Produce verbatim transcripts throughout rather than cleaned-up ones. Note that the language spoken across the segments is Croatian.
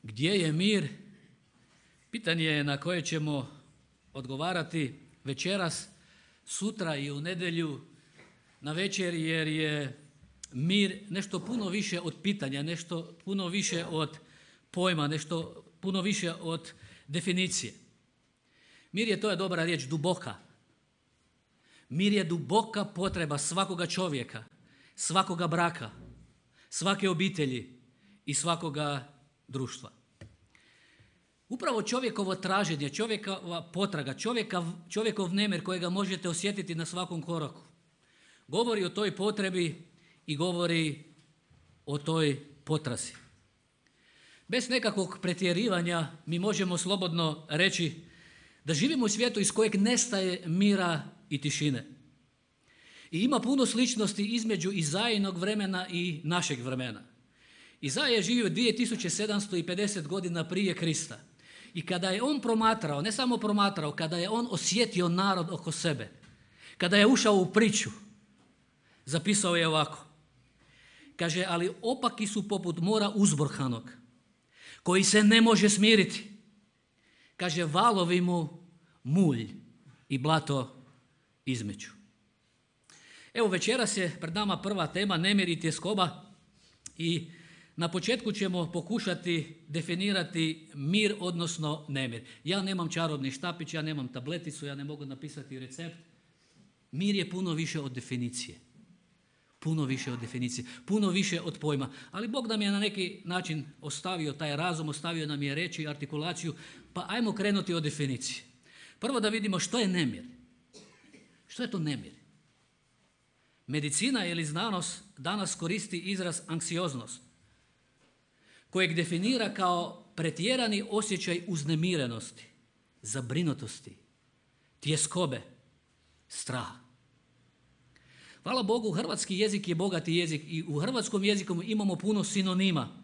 Gdje je mir? Pitanje je na koje ćemo odgovarati večeras, sutra i u nedjelju na večer, jer je mir nešto puno više od pitanja, nešto puno više od pojma, nešto puno više od definicije. Mir je, to je dobra riječ, duboka. Mir je duboka potreba svakoga čovjeka, svakoga braka, svake obitelji i svakoga društva. Upravo čovjekovo traženje, čovjekova potraga, čovjeka, čovjekov nemir kojega možete osjetiti na svakom koraku, govori o toj potrebi i govori o toj potrazi. Bez nekakvog pretjerivanja mi možemo slobodno reći da živimo u svijetu iz kojeg nestaje mira i tišine. I ima puno sličnosti između Izaijinog vremena i našeg vremena. Izaija je živio dvije tisuće sedamsto pedeset godina prije Krista. I kada je on promatrao, ne samo promatrao, kada je on osjetio narod oko sebe, kada je ušao u priču, zapisao je ovako. Kaže, ali opaki su poput mora uzburkanog, koji se ne može smiriti. Kaže, valovi mu mulj i blato između. Evo, večeras je pred nama prva tema, nemir i tjeskoba, i na početku ćemo pokušati definirati mir, odnosno nemir. Ja nemam čarobni štapić, ja nemam tableticu, ja ne mogu napisati recept. Mir je puno više od definicije. Puno više od definicije, puno više od pojma. Ali Bog nam je na neki način ostavio taj razum, ostavio nam je reći, artikulaciju, pa ajmo krenuti od definicije. Prvo da vidimo što je nemir. Što je to nemir? Medicina ili znanost danas koristi izraz anksioznost, kojeg definira kao pretjerani osjećaj uznemirenosti, zabrinutosti, tjeskobe, straha. Hvala Bogu, hrvatski jezik je bogati jezik i u hrvatskom jeziku imamo puno sinonima.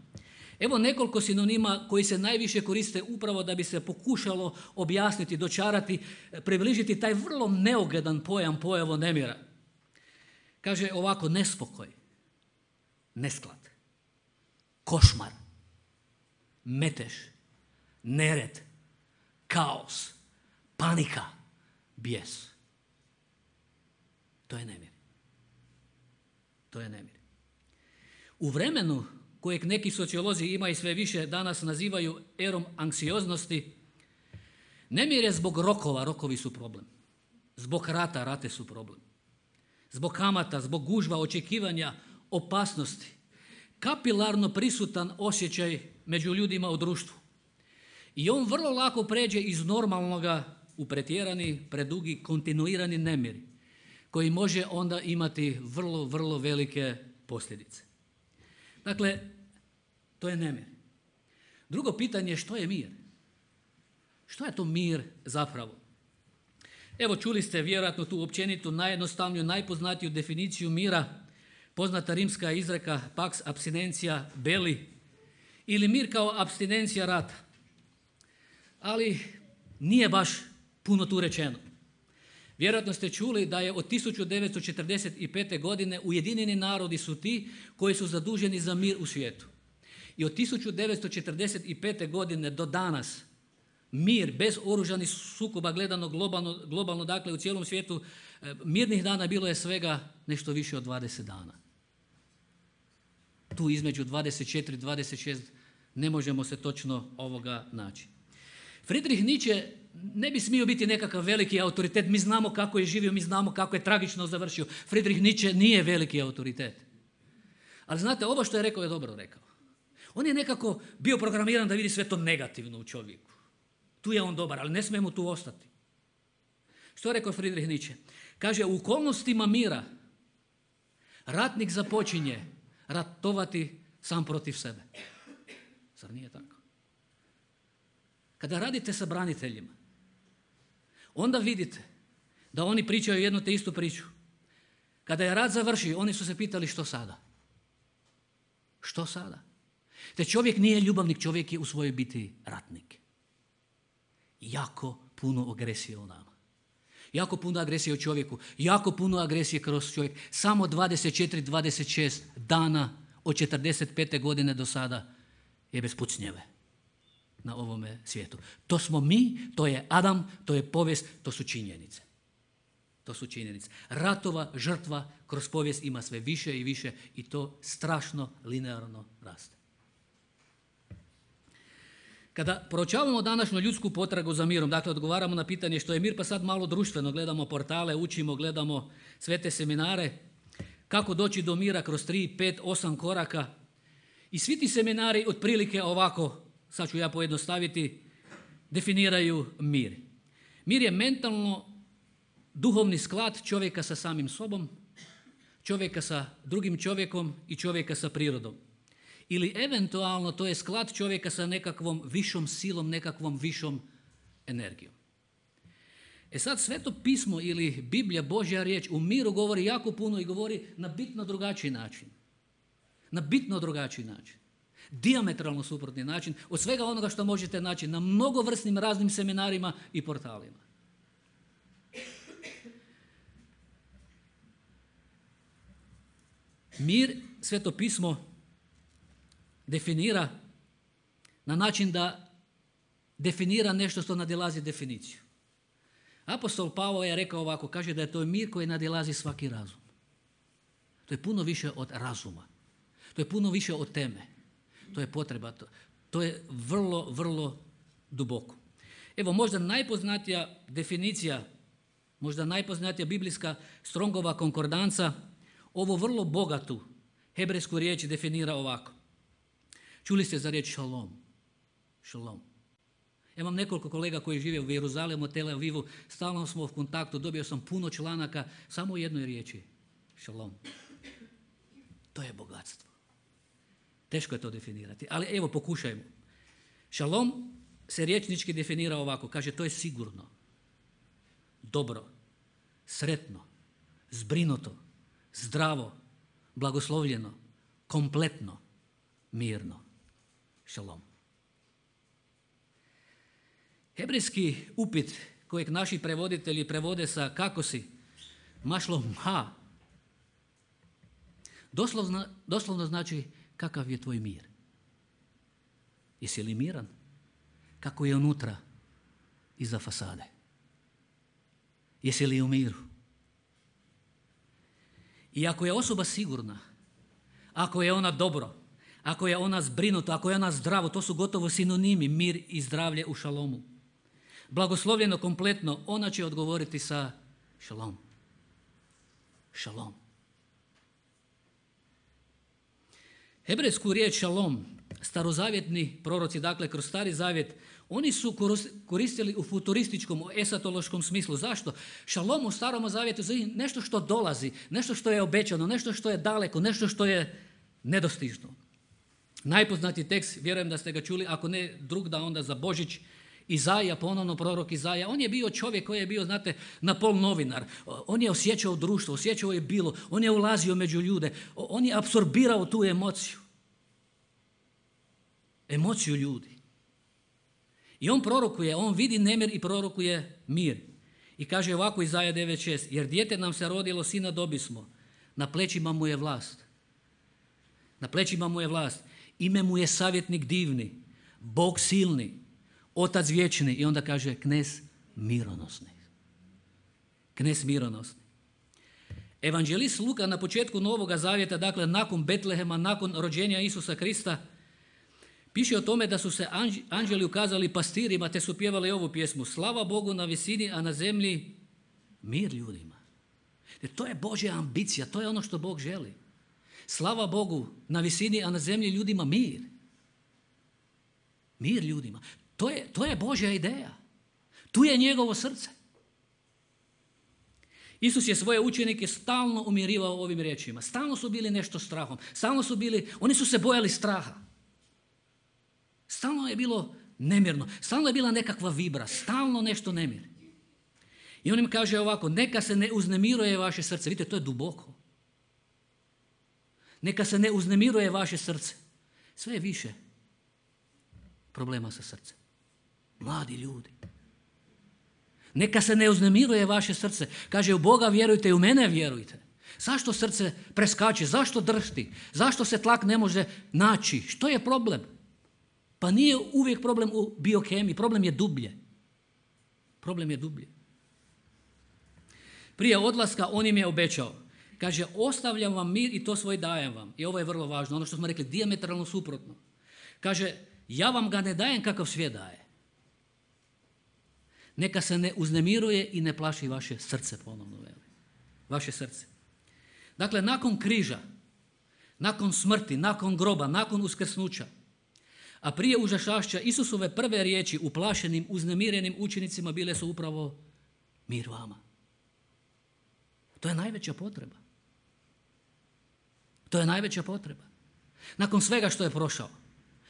Evo nekoliko sinonima koji se najviše koriste upravo da bi se pokušalo objasniti, dočarati, približiti taj vrlo neogledan pojam, pojavu nemira. Kaže ovako: nespokoj, nesklad, košmar, metež, nered, kaos, panika, bijes. To je nemir. To je nemir. U vremenu kojeg neki sociolozi ima i sve više danas nazivaju erom anksioznosti, nemir je zbog rokova, rokovi su problem. Zbog rata, rate su problem. Zbog kamata, zbog gužva, očekivanja, opasnosti. Kapilarno prisutan osjećaj među ljudima u društvu. I on vrlo lako pređe iz normalnoga u pretjerani, predugi, kontinuirani nemir, koji može onda imati vrlo, vrlo velike posljedice. Dakle, to je nemir. Drugo pitanje je što je mir? Što je to mir zapravo? Evo, čuli ste vjerojatno tu općenitu, najjednostavniju, najpoznatiju definiciju mira, poznata rimska izreka pax abstinentia belli, ili mir kao apstinencija rata. Ali nije baš puno tu rečeno. Vjerojatno ste čuli da je od tisuću devetsto četrdeset pete. godine Ujedinjeni narodi su ti koji su zaduženi za mir u svijetu. I od tisuću devetsto četrdeset pete. godine do danas mir bez oružanih sukoba gledano globalno, globalno, dakle u cijelom svijetu, mirnih dana bilo je svega nešto više od dvadeset dana. Tu između dvadeset četiri i dvadeset šest ne možemo se točno ovoga naći. Friedrich Nietzsche ne bi smio biti nekakav veliki autoritet. Mi znamo kako je živio, mi znamo kako je tragično završio. Friedrich Nietzsche nije veliki autoritet. Ali znate, ovo što je rekao je dobro rekao. On je nekako bio programiran da vidi sve to negativno u čovjeku. Tu je on dobar, ali ne smije mu tu ostati. Što je rekao Friedrich Nietzsche? Kaže, u okolnostima mira ratnik započinje ratovati sam protiv sebe. Zar nije tako? Kada radite sa braniteljima, onda vidite da oni pričaju jednu te istu priču. Kada je rat završio, oni su se pitali što sada? Što sada? Te čovjek nije ljubavnik, čovjek je u svojoj biti ratnik. Jako puno agresije u nama. Jako puno agresije u čovjeku. Jako puno agresije kroz čovjek. Samo dvadeset četiri dvadeset šest dana od četrdeset pete. godine do sada je bez pucnjeve. na ovome svijetu. To smo mi, to je Adam, to je povijest, to su činjenice. To su činjenice. Ratova, žrtva kroz povijest ima sve više i više i to strašno linearno raste. Kada proučavamo današnju ljudsku potragu za mirom, dakle odgovaramo na pitanje što je mir, pa sad malo društveno gledamo portale, učimo, gledamo sve te seminare, kako doći do mira kroz tri, pet, osam koraka. I svi ti seminari otprilike ovako, sad ću ja pojednostaviti, definiraju mir. Mir je mentalno duhovni sklad čovjeka sa samim sobom, čovjeka sa drugim čovjekom i čovjeka sa prirodom. Ili eventualno to je sklad čovjeka sa nekakvom višom silom, nekakvom višom energijom. E sad Sveto pismo ili Biblija, Božja riječ, u miru govori jako puno i govori na bitno drugačiji način. Na bitno drugačiji način. Dijametralno suprotni način od svega onoga što možete naći na mnogovrsnim raznim seminarima i portalima. Mir, Sveto pismo definira na način da definira nešto što nadilazi definiciju. Apostol Pavao je rekao ovako, kaže da je to mir koji nadilazi svaki razum. To je puno više od razuma. To je puno više od teme. To je potreba. To, to je vrlo, vrlo duboko. Evo možda najpoznatija definicija, možda najpoznatija biblijska Strongova konkordanca, ovo vrlo bogatu hebrejsku riječ definira ovako. Čuli ste za riječ šalom. Šalom. Ja imam nekoliko kolega koji žive u Jeruzalemu, Tel Avivu, stalno smo u kontaktu, dobio sam puno članaka, samo u jednoj riječi. Šalom. To je bogatstvo. Teško je to definirati, ali evo pokušajmo. Šalom se riječnički definira ovako, kaže to je sigurno, dobro, sretno, zbrinuto, zdravo, blagoslovljeno, kompletno, mirno. Šalom. Hebrejski upit kojeg naši prevoditelji prevode sa kako si, mašlom ha, doslovno, doslovno znači kakav je tvoj mir. Jesi li miran? Kako je unutra, iza fasade? Jesi li u miru? I ako je osoba sigurna, ako je ona dobro, ako je ona zbrinuta, ako je ona zdravo, to su gotovo sinonimi, mir i zdravlje u šalomu. Blagoslovljeno kompletno, ona će odgovoriti sa šalom. Šalom. Hebrejsku riječ šalom, starozavjetni proroci, dakle kroz Stari zavjet, oni su koristili u futurističkom, u esatološkom smislu. Zašto? Šalom u Starom zavjetu je nešto što dolazi, nešto što je obećano, nešto što je daleko, nešto što je nedostižno. Najpoznatiji tekst, vjerujem da ste ga čuli, ako ne drug da onda za Božić, Izaija, ponovno prorok Izaija. On je bio čovjek koji je bio, znate, na pol novinar. On je osjećao društvo, osjećao je bilo, on je ulazio među ljude, on je apsorbirao tu emociju. Emociju ljudi. I on prorokuje, on vidi nemir i prorokuje mir. I kaže ovako Izaija devet šest, jer dijete nam se rodilo, sina dobismo, na plećima mu je vlast. Na plećima mu je vlast. Ime mu je savjetnik divni, Bog silni, Otac vječni. I onda kaže knez mironosni. Knez mironosni. Evanđelist Luka na početku Novoga zavjeta, dakle nakon Betlehema, nakon rođenja Isusa Krista, piše o tome da su se anđeli ukazali pastirima te su pjevali ovu pjesmu. Slava Bogu na visini, a na zemlji mir ljudima. Jer to je Božja ambicija, to je ono što Bog želi. Slava Bogu na visini, a na zemlji ljudima mir. Mir ljudima. To je, to je Božja ideja. Tu je njegovo srce. Isus je svoje učenike stalno umirivao ovim riječima. Stalno su bili nešto strahom. Stalno su bili, oni su se bojali straha. Stalno je bilo nemirno. Stalno je bila nekakva vibra. Stalno nešto nemir. I on im kaže ovako, neka se ne uznemiruje vaše srce. Vidite, to je duboko. Neka se ne uznemiruje vaše srce. Sve je više problema sa srcem. Mladi ljudi. Neka se ne uznemiruje vaše srce. Kaže, u Boga vjerujte i u mene vjerujte. Zašto srce preskače? Zašto drhti? Zašto se tlak ne može naći? Što je problem? Pa nije uvijek problem u biokemiji, problem je dublje. Problem je dublje. Prije odlaska on im je obećao. Kaže, ostavljam vam mir i to svoj dajem vam. I ovo je vrlo važno, ono što smo rekli, dijametralno suprotno. Kaže, ja vam ga ne dajem kakav svijet daje. Neka se ne uznemiruje i ne plaši vaše srce, ponovno veli. Vaše srce. Dakle, nakon križa, nakon smrti, nakon groba, nakon uskrsnuća, a prije užašašća, Isusove prve riječi uplašenim, uznemirenim učenicima bile su upravo mir vama. To je najveća potreba. To je najveća potreba. Nakon svega što je prošao,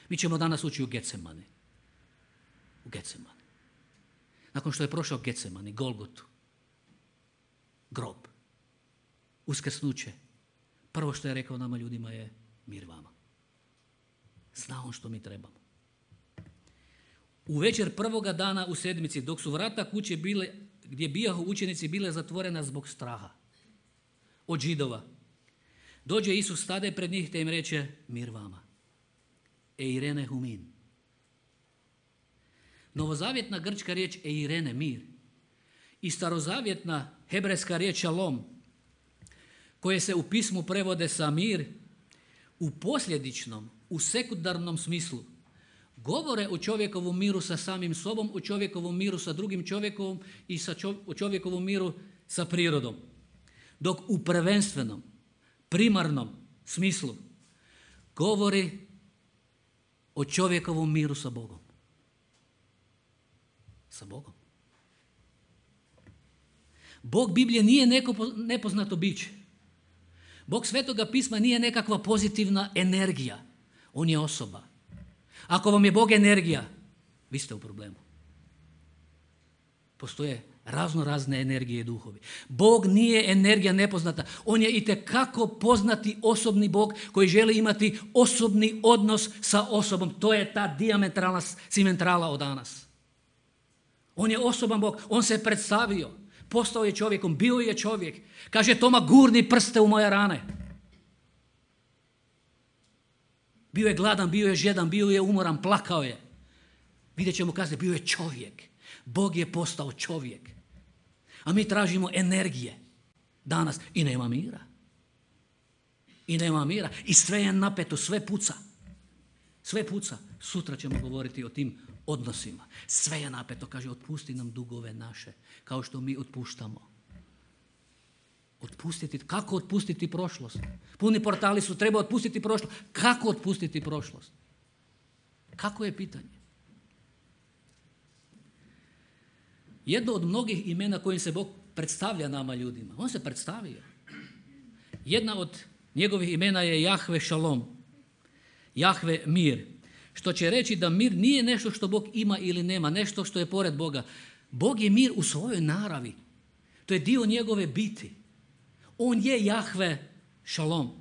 mi ćemo danas ući u Getsemani. U Getsemani. Nakon što je prošao Getsemani, Golgotu, grob, uskrsnuće, prvo što je rekao nama ljudima je mir vama. Zna on što mi trebamo. U večer prvoga dana u sedmici, dok su vrata kuće bile, gdje bijahu učenici, bile zatvorena zbog straha od Židova, dođe Isus, stade pred njih te im reče mir vama. Eirene humin. Novozavjetna grčka riječ eirene, mir, i starozavjetna hebrejska riječ šalom, koje se u pismu prevode sa mir, u posljedičnom, u sekundarnom smislu, govore o čovjekovom miru sa samim sobom, o čovjekovom miru sa drugim čovjekom i sa čov- o čovjekovom miru sa prirodom. Dok u prvenstvenom, primarnom smislu govori o čovjekovom miru sa Bogom. Sa Bogom. Bog Biblije nije neko nepoznato biće. Bog Svetoga pisma nije nekakva pozitivna energija. On je osoba. Ako vam je Bog energija, vi ste u problemu. Postoje razno razne energije i duhovi. Bog nije energija nepoznata. On je itekako poznati osobni Bog koji želi imati osobni odnos sa osobom. To je ta dijametralna simentrala od danas. On je osoban Bog. On se predstavio. Postao je čovjekom. Bio je čovjek. Kaže Toma, gurni prste u moje rane. Bio je gladan, bio je žedan, bio je umoran, plakao je. Vidjet ćemo kasnije, bio je čovjek. Bog je postao čovjek. A mi tražimo energije danas i nema mira. I nema mira. I sve je napeto, sve puca. Sve puca. Sutra ćemo govoriti o tim odnosima. Sve je napeto. Kaže, otpusti nam dugove naše, kao što mi otpuštamo. Otpustiti. Kako otpustiti prošlost? Puni portali su, treba otpustiti prošlost. Kako otpustiti prošlost? Kako je pitanje? Jedno od mnogih imena kojim se Bog predstavlja nama ljudima. On se predstavio. Jedna od njegovih imena je Jahve Šalom. Jahve mir. Što će reći da mir nije nešto što Bog ima ili nema, nešto što je pored Boga. Bog je mir u svojoj naravi. To je dio njegove biti. On je Jahve Šalom.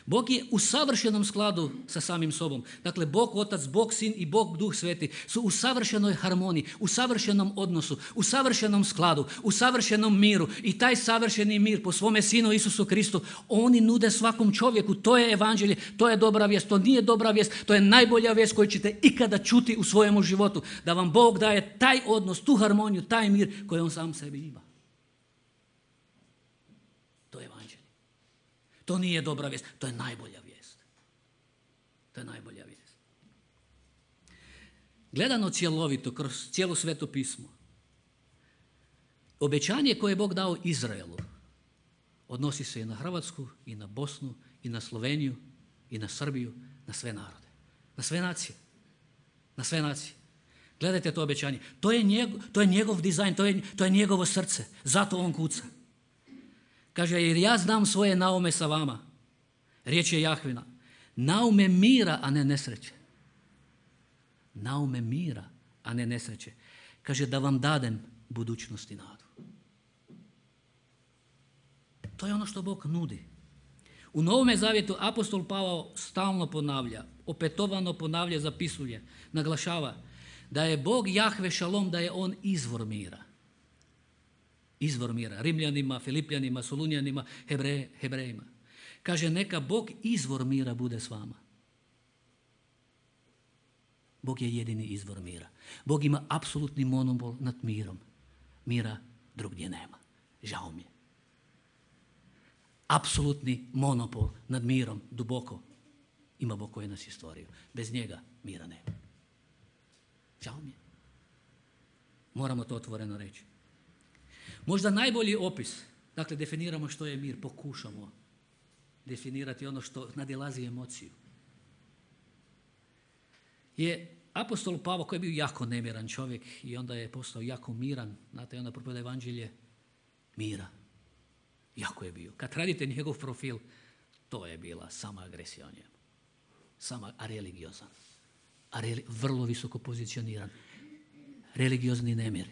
Bog je u savršenom skladu sa samim sobom. Dakle, Bog Otac, Bog Sin i Bog Duh Sveti su u savršenoj harmoniji, u savršenom odnosu, u savršenom skladu, u savršenom miru. I taj savršeni mir po svome Sinu Isusu Kristu oni nude svakom čovjeku. To je evanđelje, to je dobra vijest, to nije dobra vijest, to je najbolja vijest koju ćete ikada čuti u svojemu životu. Da vam Bog daje taj odnos, tu harmoniju, taj mir koji on sam sebi ima. To je evanđelje. To nije dobra vijest, to je najbolja vijest. To je najbolja vijest. Gledano cjelovito, kroz cijelo Sveto pismo, obećanje koje je Bog dao Izraelu odnosi se i na Hrvatsku, i na Bosnu, i na Sloveniju, i na Srbiju, na sve narode, na sve nacije. Na sve nacije. Gledajte to obećanje. To je njegov, to je njegov dizajn, to je, to je njegovo srce. Zato on kuca. Kaže, jer ja znam svoje naume sa vama. Riječ je Jahvina. Naume mira, a ne nesreće. Naume mira, a ne nesreće. Kaže, da vam dadem budućnost i nadu. To je ono što Bog nudi. U Novome zavjetu apostol Pavao stalno ponavlja, opetovano ponavlja, zapisuje, naglašava da je Bog Jahve Šalom, da je on izvor mira. Izvor mira. Rimljanima, Filipljanima, Solunjanima, Hebre, Hebrejima. Kaže, neka Bog izvor mira bude s vama. Bog je jedini izvor mira. Bog ima apsolutni monopol nad mirom. Mira drugdje nema. Žao mi je. Apsolutni monopol nad mirom, duboko, ima Bog koji nas je stvorio. Bez njega mira nema. Žao mi je. Moramo to otvoreno reći. Možda najbolji opis, dakle definiramo što je mir, pokušamo definirati ono što nadilazi emociju, je apostol Pavao koji je bio jako nemiran čovjek i onda je postao jako miran. Znate, onda propovjeda evanđelje mira. Jako je bio. Kad radite njegov profil, to je bila sama agresija o njemu. Sama, a religiozan. A reli, vrlo visoko pozicioniran. Religiozni nemir.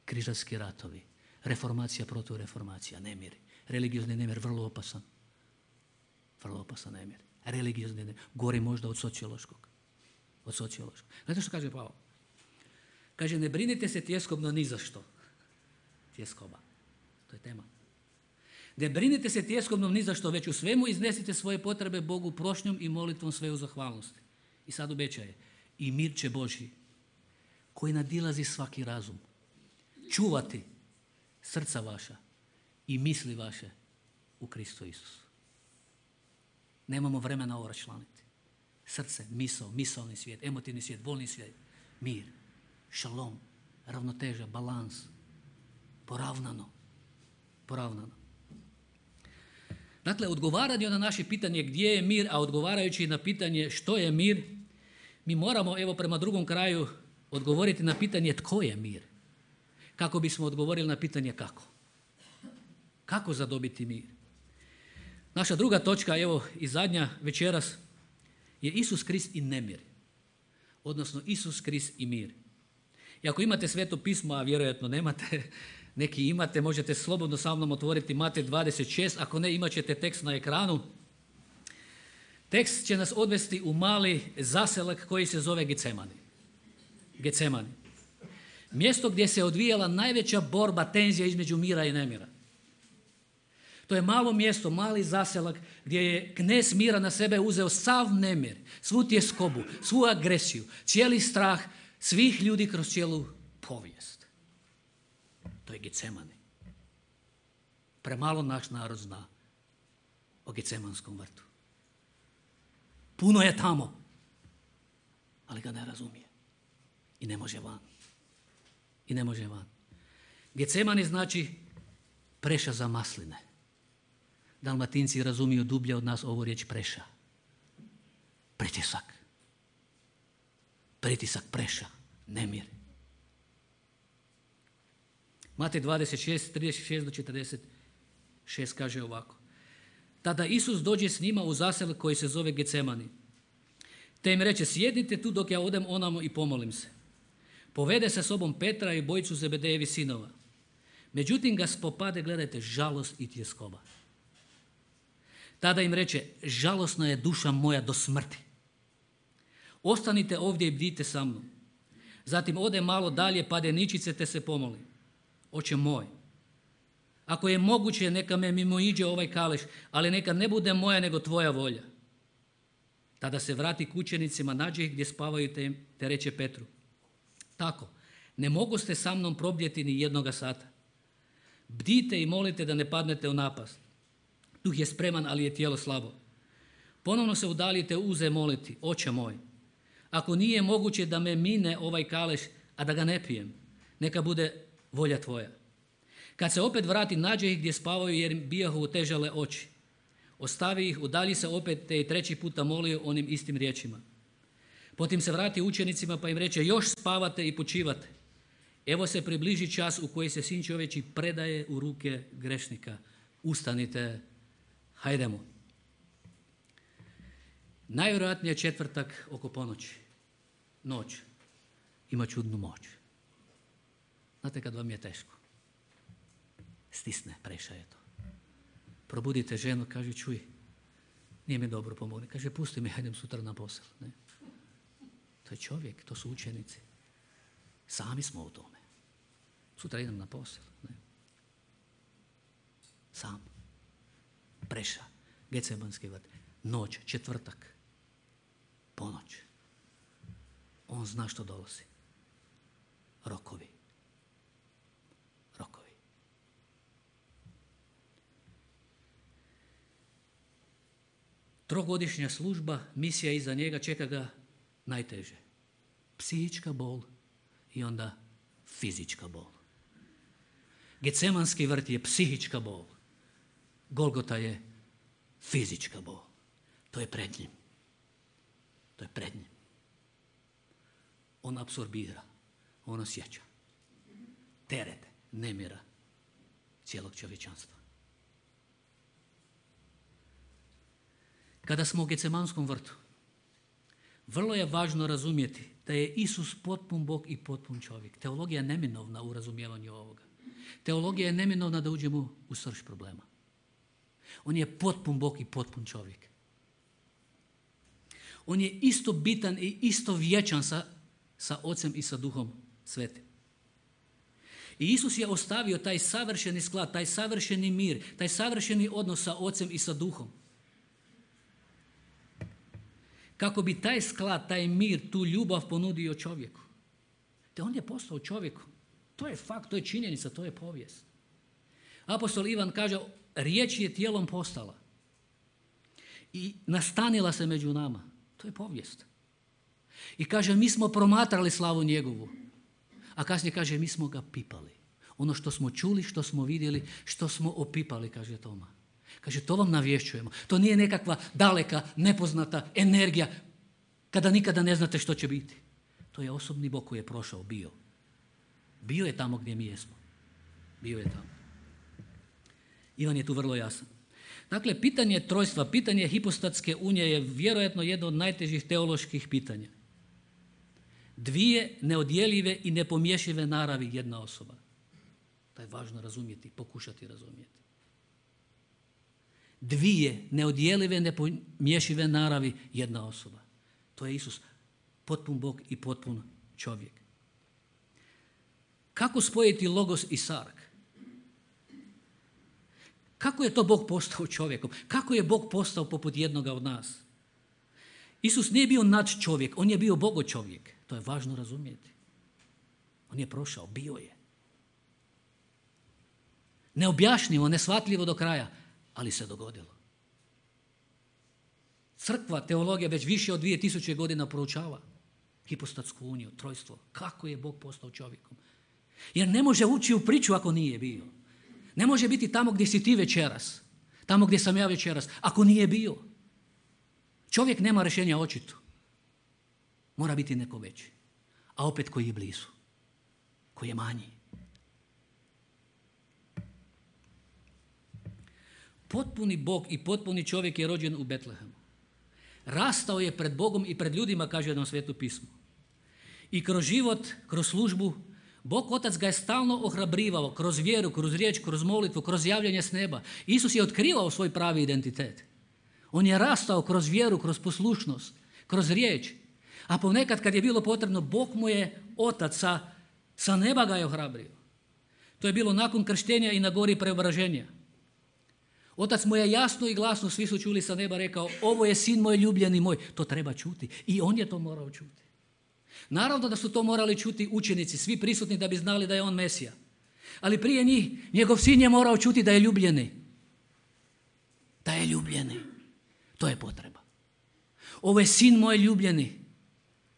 Križarski ratovi. Reformacija, protureformacija, nemir. Religiozni nemir, vrlo opasan. Vrlo opasan nemir. Religiozni nemir. Gori možda od sociološkog. Od sociološkog. Znate što kaže Pavao? Kaže, ne brinite se tjeskobno ni za što. Tjeskoba. To je tema. Ne brinite se tjeskobno ni za što, već u svemu iznesite svoje potrebe Bogu prošnjom i molitvom sve u zahvalnosti. I sad obećaje. I mir će Božji, koji nadilazi svaki razum, čuvati srca vaša i misli vaše u Kristu Isusu. Nemamo vremena ovo raščlaniti. Srce, misao, misaoni svijet, emotivni svijet, volni svijet, mir, šalom, ravnoteža, balans, poravnano, poravnano. Dakle, odgovaranje na naše pitanje gdje je mir, a odgovarajući na pitanje što je mir, mi moramo, evo prema drugom kraju, odgovoriti na pitanje tko je mir. Kako bismo odgovorili na pitanje kako. Kako zadobiti mir? Naša druga točka, evo i zadnja večeras, je Isus Krist i nemir. Odnosno Isus Krist i mir. I ako imate Sveto pismo, a vjerojatno nemate, neki imate, možete slobodno sa mnom otvoriti Matej dvadeset šest, ako ne, imat ćete tekst na ekranu. Tekst će nas odvesti u mali zaselak koji se zove Getsemani. Getsemani. Mjesto gdje se odvijala najveća borba, tenzija između mira i nemira. To je malo mjesto, mali zaselak gdje je knez mira na sebe uzeo sav nemir, svu tjeskobu, svu agresiju, cijeli strah svih ljudi kroz cijelu povijest. To je Getsemani. Premalo naš narod zna o Getsemanskom vrtu. Puno je tamo, ali ga ne razumije. I ne može van. I ne može van. Getsemani znači preša za masline. Dalmatinci razumiju dublje od nas ovu riječ preša. Pritisak. Pritisak, preša, nemir. Matej dvadeset šest, trideset šest do četrdeset šest kaže ovako. Tada Isus dođe s njima u zaselak koji se zove Getsemani. Te im reče, sjednite tu dok ja odem onamo i pomolim se. Povede sa sobom Petra i bojicu Zebedejevi sinova. Međutim ga spopade, gledajte, žalost i tjeskoba. Tada im reče, žalosna je duša moja do smrti. Ostanite ovdje i bdite sa mnom. Zatim ode malo dalje, pade ničice te se pomoli. Oče moj, ako je moguće, neka me mimoiđe ovaj kaleš, ali neka ne bude moja nego tvoja volja. Tada se vrati k učenicima, nađe ih gdje spavaju te, te reče Petru. Tako, ne mogu ste sa mnom probdjeti ni jednoga sata. Bdite i molite da ne padnete u napast. Duh je spreman, ali je tijelo slabo. Ponovno se udaljite uze moliti, oče moj, ako nije moguće da me mine ovaj kaleš, a da ga ne pijem, neka bude volja tvoja. Kad se opet vrati, nađe ih gdje spavaju jer im bijahu otežale oči. Ostavi ih, udalji se opet te i treći puta molio onim istim riječima. Potim se vrati učenicima pa im reče, još spavate i počivate. Evo se približi čas u koji se Sin čovječji predaje u ruke grešnika. Ustanite, hajdemo. Najvjerojatnije četvrtak oko ponoći. Noć. Ima čudnu moć. Znate kad vam je teško. Stisne, preša je to. Probudite ženu, kaže, čuj, nije mi dobro, pomogne. Kaže, pusti mi, hajdem sutra na posao. Ne? To je čovjek, to su učenici. Sami smo u tome. Sutra idem na posao. Ne? Sam. Preša. Getsemanski vrt. Noć, četvrtak. Ponoć. On zna što dolazi. Rokovi. Rokovi. Trogodišnja služba, misija iza njega, čeka ga najteže. Psihička bol i onda fizička bol. Getsemanski vrt je psihička bol. Golgota je fizička bol. To je pred njim. To je pred njim. On apsorbira, on osjeća teret nemira cijelog čovječanstva. Kada smo u Getsemanskom vrtu, vrlo je važno razumjeti da je Isus potpun Bog i potpun čovjek. Teologija je neminovna u razumijevanju ovoga. Teologija je neminovna da uđemo u srž problema. On je potpun Bog i potpun čovjek. On je isto bitan i isto vječan sa, sa Ocem i sa Duhom Svetim. I Isus je ostavio taj savršeni sklad, taj savršeni mir, taj savršeni odnos sa Ocem i sa Duhom. Kako bi taj sklad, taj mir, tu ljubav ponudio čovjeku. Te on je postao čovjekom. To je fakt, to je činjenica, to je povijest. Apostol Ivan kaže, riječ je tijelom postala i nastanila se među nama. To je povijest. I kaže, mi smo promatrali slavu njegovu. A kasnije kaže, mi smo ga pipali. Ono što smo čuli, što smo vidjeli, što smo opipali, kaže Toma. Kaže, to vam navješćujemo. To nije nekakva daleka, nepoznata energija kada nikada ne znate što će biti. To je osobni Bog koji je prošao, bio. Bio je tamo gdje mi jesmo. Bio je tamo. Ivan je tu vrlo jasan. Dakle, pitanje trojstva, pitanje hipostatske unije je vjerojatno jedno od najtežih teoloških pitanja. Dvije neodjeljive i nepomješive naravi jedna osoba. To je važno razumjeti, pokušati razumjeti. Dvije neodjeljive, nepomješive naravi jedna osoba. To je Isus, potpun Bog i potpun čovjek. Kako spojiti logos i sarg? Kako je to Bog postao čovjekom? Kako je Bog postao poput jednoga od nas? Isus nije bio nad čovjek, on je bio Bogo čovjek. To je važno razumjeti. On je prošao, bio je. Neobjašnjivo, neshvatljivo do kraja, ali se dogodilo. Crkva, teologija već više od dvije tisuće godina proučava hipostatsku uniju, trojstvo. Kako je Bog postao čovjekom? Jer ne može ući u priču ako nije bio. Ne može biti tamo gdje si ti večeras, tamo gdje sam ja večeras, ako nije bio. Čovjek nema rješenja očito. Mora biti neko veći. A opet koji je blizu, koji je manji. Potpuni Bog i potpuni čovjek je rođen u Betlehemu. Rastao je pred Bogom i pred ljudima, kaže nam Sveto pismo. I kroz život, kroz službu, Bog Otac ga je stalno ohrabrivao kroz vjeru, kroz riječ, kroz molitvu, kroz javljanje s neba. Isus je otkrivao svoj pravi identitet. On je rastao kroz vjeru, kroz poslušnost, kroz riječ. A ponekad kad je bilo potrebno, Bog mu je Otac sa, sa neba ga je ohrabrio. To je bilo nakon krštenja i na gori preobraženja. Otac mu je jasno i glasno, svi su čuli sa neba, rekao, ovo je sin moj ljubljeni moj. To treba čuti. I on je to morao čuti. Naravno da su to morali čuti učenici, svi prisutni da bi znali da je on Mesija. Ali prije njih, njegov sin je morao čuti da je ljubljeni. Da je ljubljeni. To je potreba. Ovo je sin moj ljubljeni,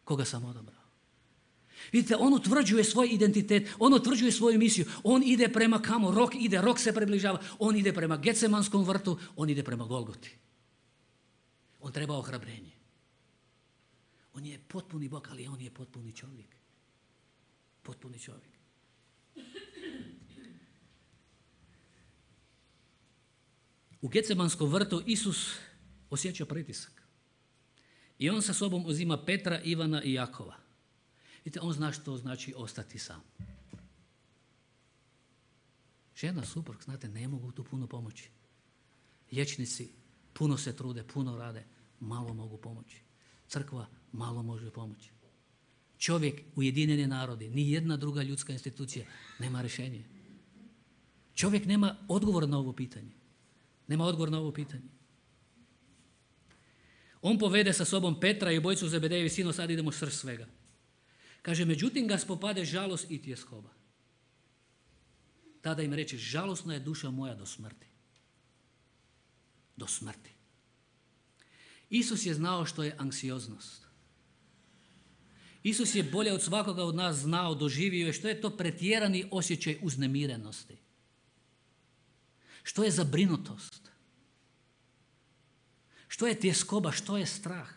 koga sam odabrao. Vidite, on utvrđuje svoj identitet, on utvrđuje svoju misiju, on ide prema kamo, rok ide, rok se približava, on ide prema Getsemanskom vrtu, on ide prema Golgoti. On treba ohrabrenje. On je potpuni Bog, ali on je potpuni čovjek. Potpuni čovjek. U Getsemanskom vrtu Isus osjeća pritisak. I on sa sobom uzima Petra, Ivana i Jakova. Vidite, on zna što znači ostati sam. Žena, suprug, znate, ne mogu tu puno pomoći. Liječnici puno se trude, puno rade, malo mogu pomoći. Crkva malo može pomoći. Čovjek, Ujedinjeni narodi, ni jedna druga ljudska institucija nema rješenje. Čovjek nema odgovor na ovo pitanje. Nema odgovor na ovo pitanje. On povede sa sobom Petra i obojicu Zebedejevi sino, sad idemo srž svega. Kaže, međutim ga spopade žalost i tjeskoba. Tada im reče, žalosna je duša moja do smrti. Do smrti. Isus je znao što je anksioznost. Isus je bolje od svakoga od nas znao, doživio je što je to pretjerani osjećaj uznemirenosti. Što je zabrinutost. Što je tjeskoba, što je strah.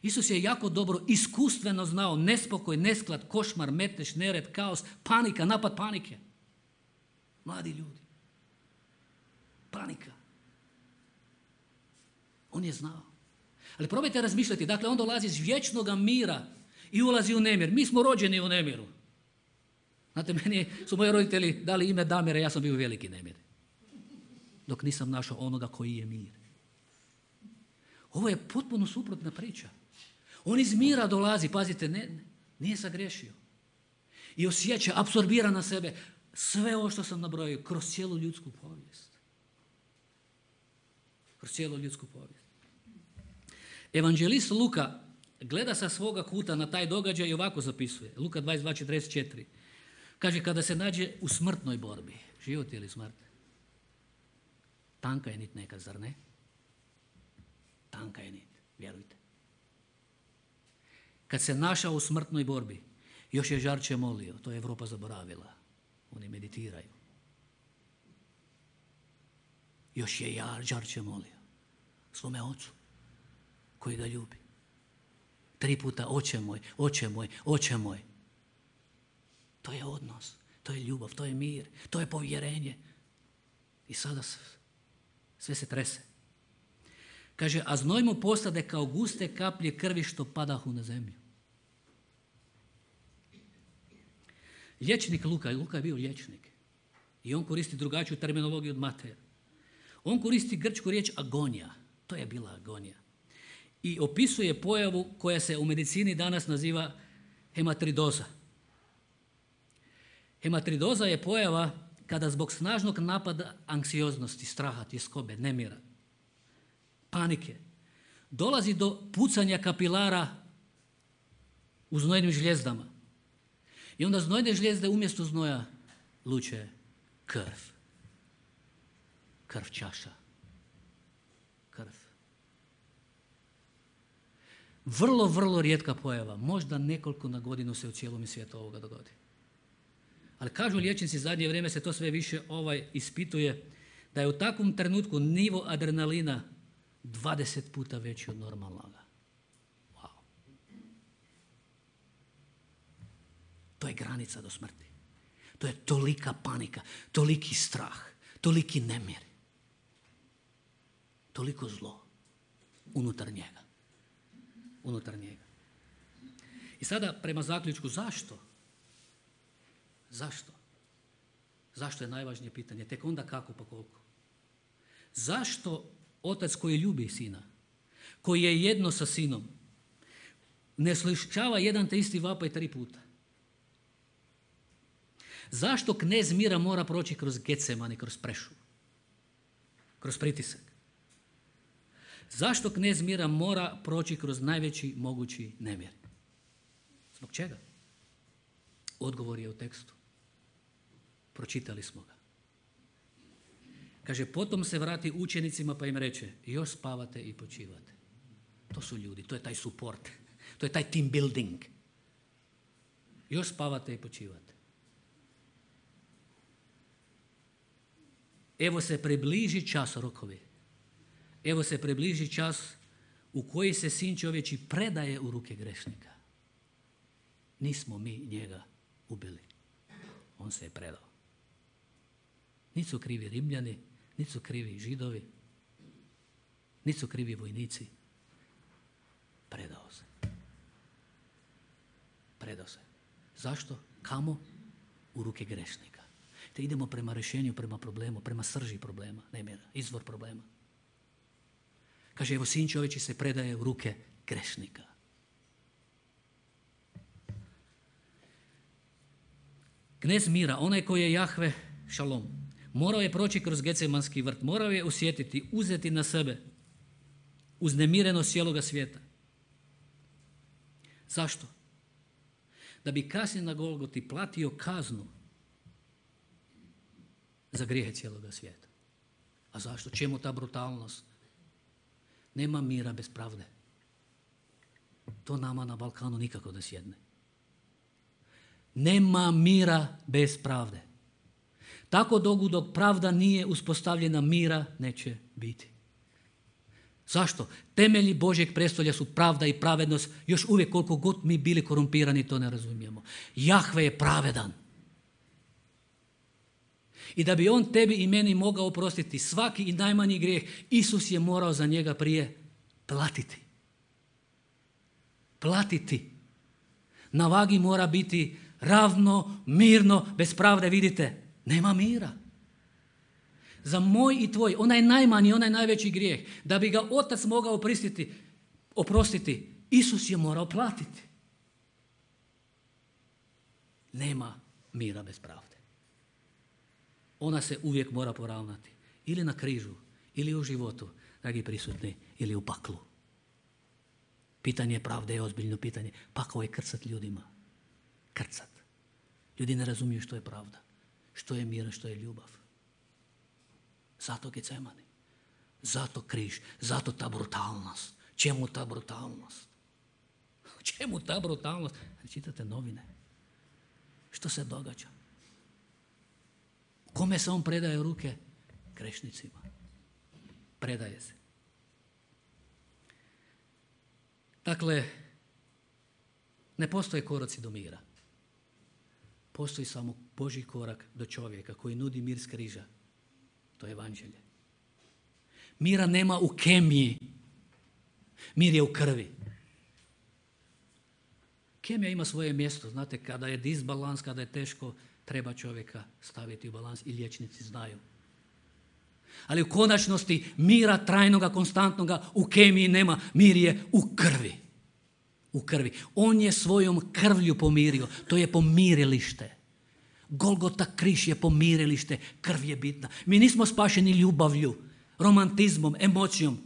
Isus je jako dobro, iskustveno znao nespokoj, nesklad, košmar, metež, nered, kaos, panika, napad panike. Mladi ljudi. Panika. On je znao. Ali probajte razmišljati, dakle on dolazi iz vječnog mira i ulazi u nemir. Mi smo rođeni u nemiru. Znate, meni su moji roditelji dali ime Damire, ja sam bio veliki nemir. Dok nisam našao onoga koji je mir. Ovo je potpuno suprotna priča. On iz mira dolazi, pazite, ne, nije sagriješio. I osjeća, apsorbira na sebe sve ovo što sam nabrojio kroz cijelu ljudsku povijest. Kroz cijelu ljudsku povijest. Evanđelist Luka gleda sa svoga kuta na taj događaj i ovako zapisuje. Luka dvadeset dva četrdeset četiri. Kaže, kada se nađe u smrtnoj borbi, život ili smrt, tanka je nit nekad, zar ne? Tanka je nit, vjerujte. Kad se našao u smrtnoj borbi, još je žarče molio, to je Evropa zaboravila. Oni meditiraju. Još je žarče molio svome ocu koji ga ljubi. Tri puta, oče moj, oče moj, oče moj. To je odnos, to je ljubav, to je mir, to je povjerenje. I sada sve se trese. Kaže, a znoj mu postade kao guste kaplje krvi što padahu na zemlju. Liječnik Luka, Luka je bio liječnik. I on koristi drugačiju terminologiju od Mateja. On koristi grčku riječ agonija. To je bila agonija. I opisuje pojavu koja se u medicini danas naziva hematridoza. Hematridoza je pojava kada zbog snažnog napada anksioznosti, straha, tjeskobe, nemira, panike, dolazi do pucanja kapilara u znojnim žljezdama. I onda znojne žljezde umjesto znoja luče krv. Krv čaša. Krv. Vrlo, vrlo rijetka pojava. Možda nekoliko na godinu se u cijelom svijetu ovoga dogodi. Ali kažu liječnici, zadnje vrijeme se to sve više ovaj ispituje, da je u takvom trenutku nivo adrenalina dvadeset puta veći od normalnoga. Wow. To je granica do smrti. To je tolika panika, toliki strah, toliki nemir, toliko zlo unutar njega. Unutar njega. I sada prema zaključku, zašto? Zašto? Zašto je najvažnije pitanje? Tek onda kako pa koliko? Zašto otac koji ljubi sina, koji je jedno sa sinom, ne slušava jedan te isti vapaj tri puta? Zašto knez mira mora proći kroz Getsemani, kroz prešu, kroz pritisak? Zašto knez mira mora proći kroz najveći mogući nemir? Zbog čega? Odgovor je u tekstu. Pročitali smo ga. Kaže, potom se vrati učenicima pa im reče, još spavate i počivate. To su ljudi, to je taj support, to je taj team building. Još spavate i počivate. Evo se približi čas, rokovi. Evo se približi čas u koji se sin čovječi predaje u ruke grešnika. Nismo mi njega ubili. On se je predao. Niti su krivi Rimljani, niti su krivi Židovi, niti su krivi vojnici. Predao se. Predao se. Zašto? Kamo? U ruke grešnika. Te idemo prema rješenju, prema problemu, prema srži problema, nemira, izvor problema. Kaže, evo sin čovječi se predaje u ruke grešnika. Knez mira, onaj koji je Jahve, šalom, morao je proći kroz Getsemanski vrt, morao je osjetiti, uzeti na sebe uznemirenost cijeloga svijeta. Zašto? Da bi kasnije na Golgoti platio kaznu za grijehe cijeloga svijeta. A zašto? Čemu ta brutalnost? Nema mira bez pravde. To nama na Balkanu nikako da sjedne. Nema mira bez pravde. Tako dugo dok pravda nije uspostavljena, mira neće biti. Zašto? Temelji Božjeg prestolja su pravda i pravednost. Još uvijek koliko god mi bili korumpirani, to ne razumijemo. Jahve je pravedan. I da bi on tebi i meni mogao oprostiti svaki i najmanji grijeh, Isus je morao za njega prije platiti. Platiti. Na vagi mora biti ravno, mirno, bez pravde. Vidite, nema mira. Za moj i tvoj, onaj najmanji, onaj najveći grijeh, da bi ga Otac mogao oprostiti, oprostiti, Isus je morao platiti. Nema mira bez pravde. Ona se uvijek mora poravnati. Ili na križu, ili u životu, dragi prisutni, ili u paklu. Pitanje pravde je ozbiljno pitanje. Pakao je krcat ljudima. Krcat. Ljudi ne razumiju što je pravda. Što je mir, što je ljubav. Zato Gecemani. Zato križ. Zato ta brutalnost. Čemu ta brutalnost? Čemu ta brutalnost? Čitate novine. Što se događa? Kome se on predaje u ruke? Grešnicima. Predaje se. Dakle, ne postoje koraci do mira. Postoji samo Božji korak do čovjeka koji nudi mir s križa. To je evanđelje. Mira nema u kemiji. Mir je u krvi. Kemija ima svoje mjesto. Znate, kada je disbalans, kada je teško, treba čovjeka staviti u balans i liječnici znaju. Ali u konačnosti mira trajnoga, konstantnoga u kemiji nema. Mir je u krvi. U krvi. On je svojom krvlju pomirio. To je pomirilište. Golgota, križ je pomirilište. Krv je bitna. Mi nismo spašeni ljubavlju, romantizmom, emocijom.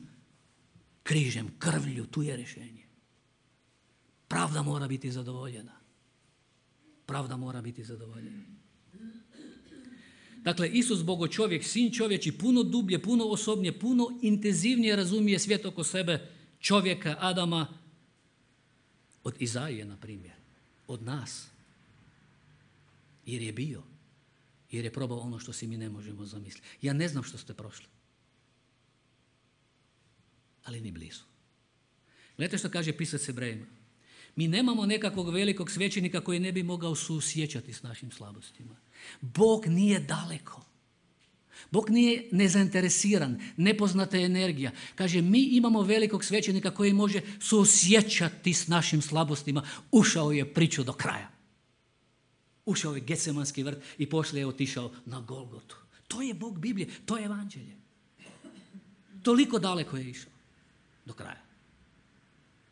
Križem, krvlju, tu je rješenje. Pravda mora biti zadovoljena. Pravda mora biti zadovoljena. Dakle, Isus, Bogo čovjek, sin čovječi, puno dublje, puno osobnije, puno intenzivnije razumije svijet oko sebe, čovjeka, Adama, od Izaije, na primjer, od nas. Jer je bio, jer je probao ono što si mi ne možemo zamisliti. Ja ne znam što ste prošli, ali ni blizu. Gledajte što kaže pisac Hebrejima. Mi nemamo nekakvog velikog svećenika koji ne bi mogao suosjećati s našim slabostima. Bog nije daleko. Bog nije nezainteresiran, nepoznata je energija. Kaže, mi imamo velikog svećenika koji može suosjećati s našim slabostima. Ušao je priču do kraja. Ušao je Getsemanski vrt i poslije je otišao na Golgotu. To je Bog Biblije, to je evanđelje. Toliko daleko je išao. Do kraja.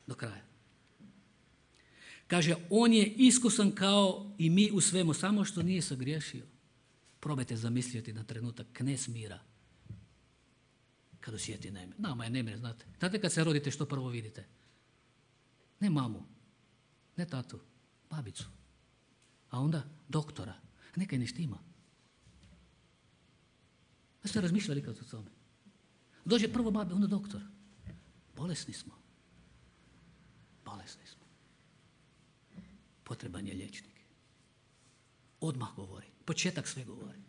Do kraja. Kaže, on je iskusan kao i mi u svemu, samo što nije sagriješio. Probajte zamisliti na trenutak knez mira. Kad osjeti nemir. Nama je nemir, znate. Znate kad se rodite što prvo vidite? Ne mamu, ne tatu, babicu. A onda doktora. Nekaj ne štima. Da ste razmišljali kad o tome? Dođe prvo babi, onda doktor. Bolesni smo. Bolesni smo. Potreban je liječnik. Odmah govori. Početak sve govori.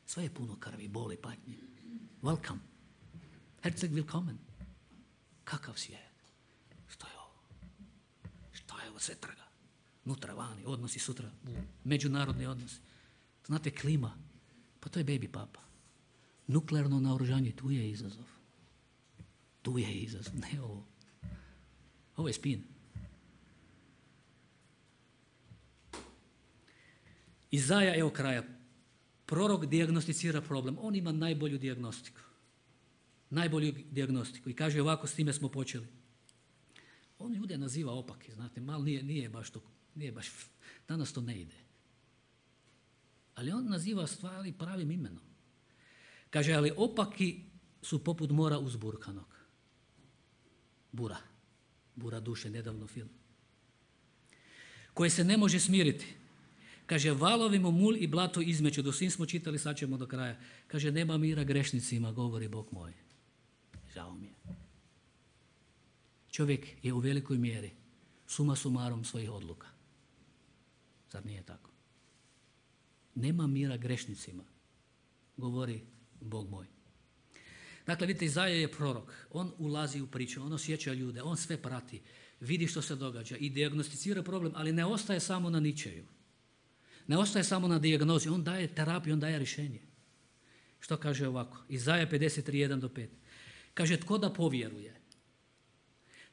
Sve je puno krvi, boli, patnje. Welcome. Herzog willkommen. Kakav svijet? Što je ovo? Što je ovo? Sve trga. Nutra, vani, odnosi sutra. Međunarodni odnosi. Znate, klima. Pa to je baby papa. Nuklearno naoružanje, tu je izazov. Tu je izazov. Ne ovo. Ovo je spin. Izaja, evo kraja. Prorok dijagnosticira problem. On ima najbolju dijagnostiku. Najbolju dijagnostiku. I kaže ovako, s time smo počeli. On ljude naziva opaki, znate, malo nije, nije baš to, nije baš, danas to ne ide. Ali on naziva stvari pravim imenom. Kaže, ali opaki su poput mora uzburkanog. Bura. Bura duše, nedavno film. koje se ne može smiriti. Kaže, valovi mu mul i blato izmeću. Do svim smo čitali, sad ćemo do kraja. Kaže, nema mira grešnicima, govori Bog moj. Žao mi je. Čovjek je u velikoj mjeri suma sumarom svojih odluka. Zar nije tako? Nema mira grešnicima, govori Bog moj. Dakle, vidite, Izaja je prorok. On ulazi u priču, on osjeća ljude, on sve prati, vidi što se događa i dijagnosticira problem, ali ne ostaje samo na ničeju. Ne ostaje samo na dijagnozi, on daje terapiju, on daje rješenje. Što kaže ovako? Izaja pedeset tri, jedan do pet. Kaže, tko da povjeruje?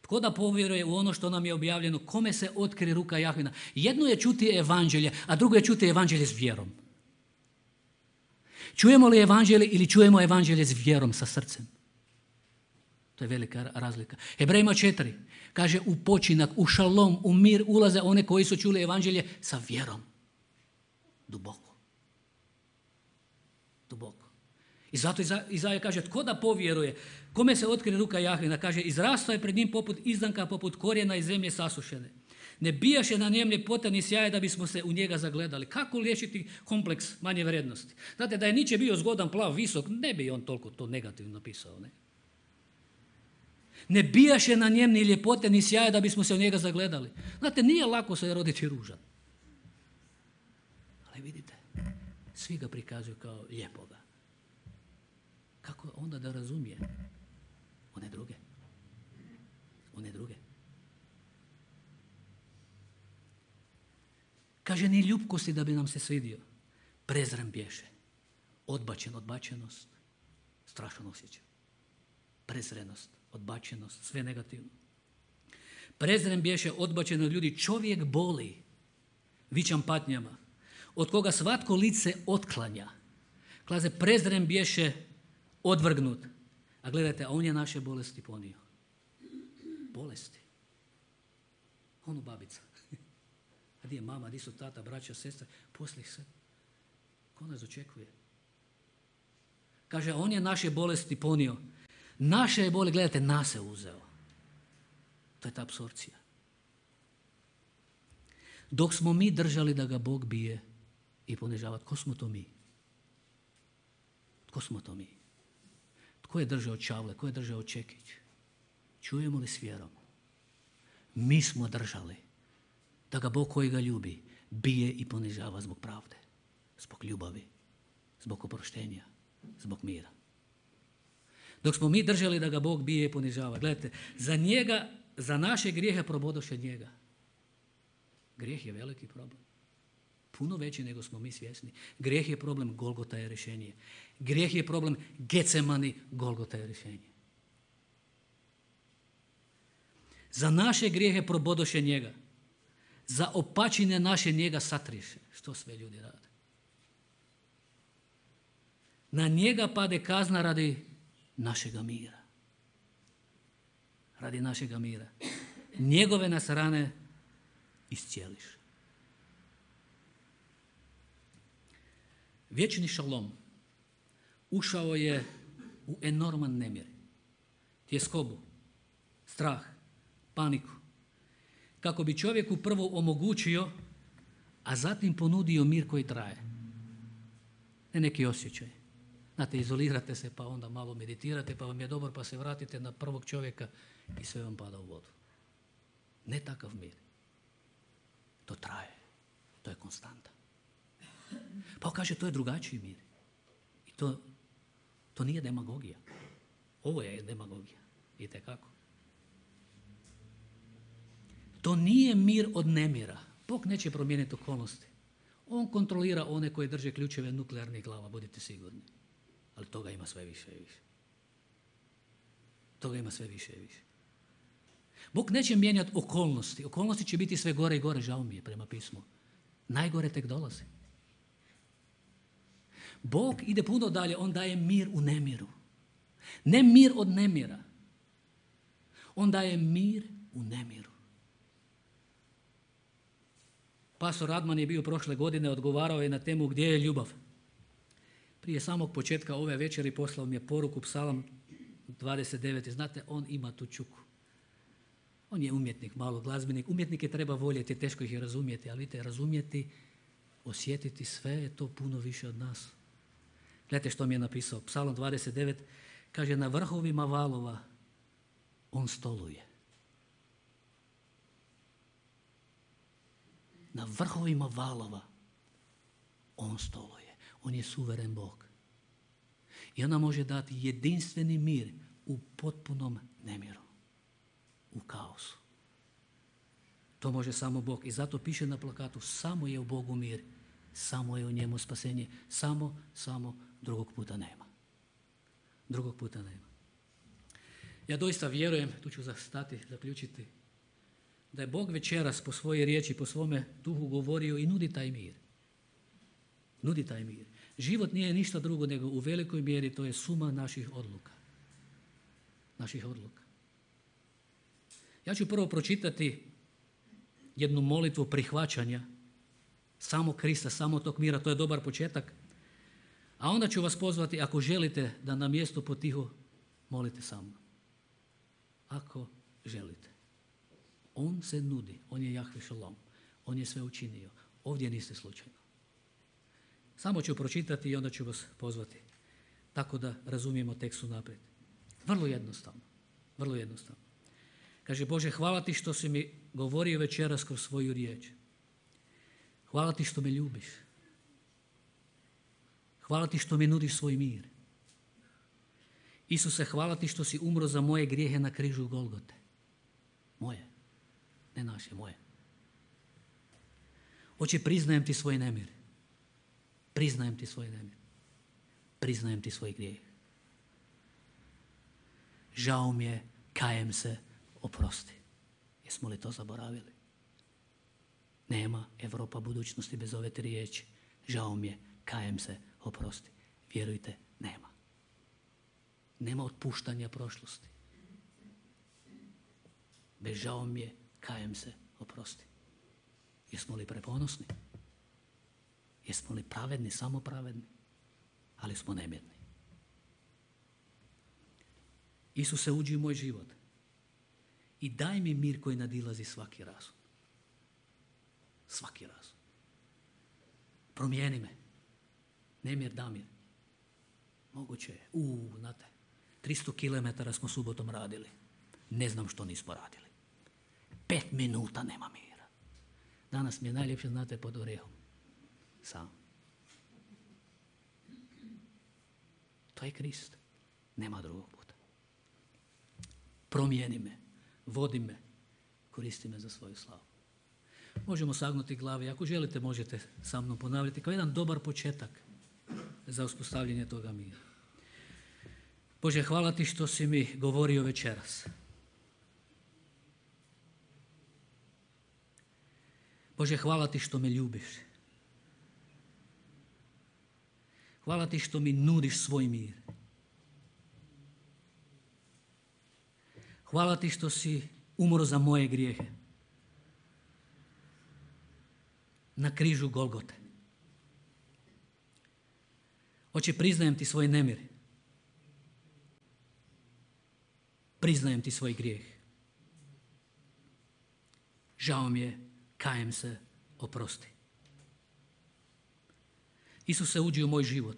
Tko da povjeruje u ono što nam je objavljeno, kome se otkrije ruka Jahvina? Jedno je čuti evanđelje, a drugo je čuti evanđelje s vjerom. Čujemo li evanđelje ili čujemo evanđelje s vjerom, sa srcem? To je velika razlika. Hebrejima četiri kaže, u počinak, u šalom, u mir ulaze one koji su čuli evanđelje sa vjerom. Duboko. Duboko. I zato Izaja kaže, tko da povjeruje, kome se otkrije ruka Jahvina? Kaže, izrastao je pred njim poput izdanka, poput korijena iz zemlje sasušene. Ne bijaše na njem ljepota ni sjaje da bismo se u njega zagledali. Kako liječiti kompleks manje vrijednosti? Znate, da je Nietzsche bio zgodan, plav, visok, ne bi on toliko to negativno napisao. Ne, ne bijaše na njem ni ljepote ni sjaje da bismo se u njega zagledali. Znate, nije lako se roditi ružan. Ali vidite, svi ga prikazuju kao lijepoga. Kako onda da razumije one druge? One druge. Kaže, ni ljubkosti da bi nam se svidio. Prezren bješe. Odbačen, odbačenost. Strašan osjećaj. Prezrenost, odbačenost, sve negativno. Prezren bješe, odbačen od ljudi. Čovjek boli vićam patnjama, od koga svatko lice otklanja. Klaze, prezren bješe, odvrgnut. A gledajte, a on je naše bolesti ponio. Bolesti. Ono babica. A gdje je mama, gdje su tata, braća, sestra, poslije se. Ko nas očekuje? Kaže, on je naše bolesti ponio. Naše je boli, gledajte, nas je uzeo. To je ta apsorpcija. Dok smo mi držali da ga Bog bije i ponižava, tko smo to mi? Tko smo to mi? Tko je držao čavle? Tko je držao čekić? Čujemo li s vjerom? Mi smo držali da ga Bog koji ga ljubi bije i ponižava zbog pravde, zbog ljubavi, zbog oproštenja, zbog mira. Dok smo mi držali da ga Bog bije i ponižava, gledajte, za njega, za naše grijehe probodoše njega. Grijeh je veliki problem. Puno veći nego smo mi svjesni. Grijeh je problem, Golgota je rješenje. Grijeh je problem, Getsemani, Golgota je rješenje. Za naše grijehe probodoše njega. Za opačine naše njega satriše. Što sve ljudi rade? Na njega pade kazna radi našega mira. Radi našega mira. Njegove nas rane iscijeliš. Vječni šalom ušao je u enorman nemir, tjeskobu, strah, paniku, kako bi čovjeku prvo omogućio, a zatim ponudio mir koji traje. Ne neki osjećaj. Znate, izolirate se pa onda malo meditirate pa vam je dobro pa se vratite na prvog čovjeka i sve vam pada u vodu. Ne takav mir. To traje. To je konstanta. Pa on kaže, to je drugačiji mir. I to, to nije demagogija. Ovo je demagogija. Vidite kako? To nije mir od nemira. Bog neće promijeniti okolnosti. On kontrolira one koji drže ključeve nuklearnih glava, budite sigurni. Ali toga ima sve više i više. Toga ima sve više i više. Bog neće mijenjati okolnosti. Okolnosti će biti sve gore i gore, žao mi je prema pismu. Najgore tek dolazi. Bog ide puno dalje, on daje mir u nemiru. Ne mir od nemira. On daje mir u nemiru. Pastor Radman je bio prošle godine, odgovarao je na temu gdje je ljubav. Prije samog početka ove večeri poslao mi je poruku Psalam dvadeset devet. Znate, on ima tu čuku. On je umjetnik, malo glazbenik. Umjetnike treba voljeti, teško ih je razumjeti, ali vidite, razumjeti, osjetiti sve je to puno više od nas. Gledajte što mi je napisao. Psalom dvadeset devet kaže, na vrhovima valova on stoluje. Na vrhovima valova on stoluje. On je suveren Bog. I ona može dati jedinstveni mir u potpunom nemiru, u kaosu. To može samo Bog. I zato piše na plakatu, samo je u Bogu mir, samo je u njemu spasenje, samo, samo drugog puta nema. Drugog puta nema. Ja doista vjerujem, tu ću zastati, zaključiti, da je Bog večeras po svojoj riječi, po svome duhu govorio i nudi taj mir. Nudi taj mir. Život nije ništa drugo nego u velikoj mjeri to je suma naših odluka. Naših odluka. Ja ću prvo pročitati jednu molitvu prihvaćanja samo Krista, samo tog mira, to je dobar početak. A onda ću vas pozvati, ako želite, da na mjestu potiho molite sa mnom. Ako želite. On se nudi, on je Jahve Šalom, on je sve učinio. Ovdje niste slučajno. Samo ću pročitati i onda ću vas pozvati. Tako da razumijemo tekst unaprijed. Vrlo jednostavno. Vrlo jednostavno. Kaže, Bože, hvala ti što si mi govorio večeras kroz svoju riječ. Hvala ti što me ljubiš. Hvala ti što mi nudiš svoj mir. Isuse, hvala ti što si umro za moje grijehe na križu Golgote. Moje. Ne naše, moje. Oče, priznajem ti svoj nemir. Priznajem ti svoj nemir. Priznajem ti svoj grijeh. Žao mi je, kajem se, oprosti. Jesmo li to zaboravili? Nema Europa budućnosti bez ove tri riječi. Žao mi je, kajem se, oprosti. Vjerujte, nema. Nema otpuštanja prošlosti. Bez žao mi je, kajem se, oprosti. Jesmo li preponosni? Jesmo li pravedni, samo pravedni? Ali smo nemjerni. Isuse, uđi u moj život i daj mi mir koji nadilazi svaki razum. Svaki razum. Promijeni me. Nemir, damir. Moguće je. Uuu, znate, tristo kilometara smo subotom radili. Ne znam što nismo radili. Pet minuta nema mira. Danas mi je najljepše, znate, pod orehom. Sam. To je Krist. Nema drugog puta. Promijeni me, vodi me, koristi me za svoju slavu. Možemo sagnuti glave. Ako želite, možete sa mnom ponavljati kao jedan dobar početak za uspostavljanje toga mira. Bože, hvala ti što si mi govorio večeras. Bože, hvala ti što me ljubiš. Hvala ti što mi nudiš svoj mir. Hvala ti što si umro za moje grijehe. Na križu Golgote. Oče, priznajem ti svoj nemir. Priznajem ti svoj grijeh. Žao mi je, kajem se, oprosti. Isuse, uđi u moj život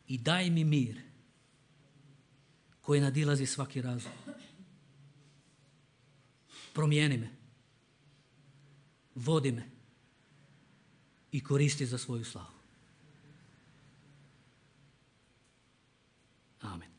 i daj mi mir koji nadilazi svaki razum. Promijeni me, vodi me i koristi za svoju slavu. Amen.